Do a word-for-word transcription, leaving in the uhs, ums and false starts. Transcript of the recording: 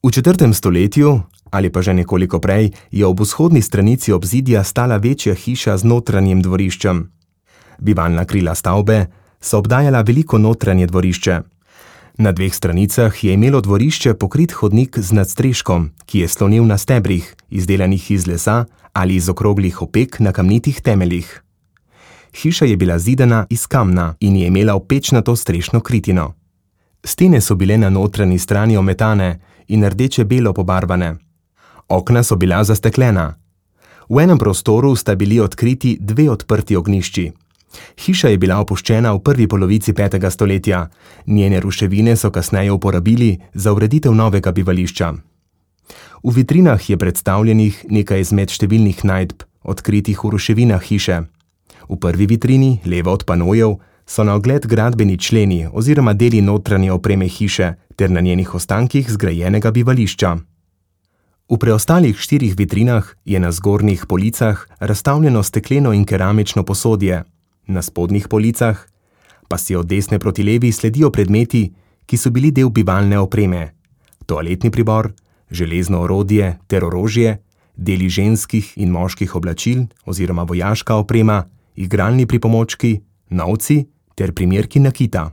V četrtem stoletju, ali pa že nekoliko prej, je ob vzhodni stranici obzidja stala večja hiša z notranjim dvoriščem. Bivalna krila stavbe so obdajala veliko notranje dvorišče. Na dveh stranicah je imelo dvorišče pokrit hodnik z nadstreškom, ki je slonil na stebrih, izdelanih iz lesa ali iz okroglih opek na kamnitih temeljih. Hiša je bila zidana iz kamna in je imela opečnato strešno kritino. Stene so bile na notranji strani ometane in rdeče-belo pobarvane. Okna so bila zasteklena. V enem prostoru sta bili odkriti dve odprti ognjišči. Hiša je bila opuščena v prvi polovici petega stoletja, njene ruševine so kasneje uporabili za ureditev novega bivališča. V vitrinah je predstavljenih nekaj izmed številnih najdb, odkritih v ruševinah hiše. V prvi vitrini, levo od panojev, so na ogled gradbeni členi oziroma deli notranje opreme hiše ter na njenih ostankih zgrajenega bivališča. V preostalih štirih vitrinah je na zgornjih policah razstavljeno stekleno in keramično posodje. Na spodnjih policah pa si od desne proti levi sledijo predmeti, ki so bili del bivalne opreme: toaletni pribor, železno orodje ter orožje, deli ženskih in moških oblačil oziroma vojaška oprema, igralni pripomočki, novci ter primerki nakita.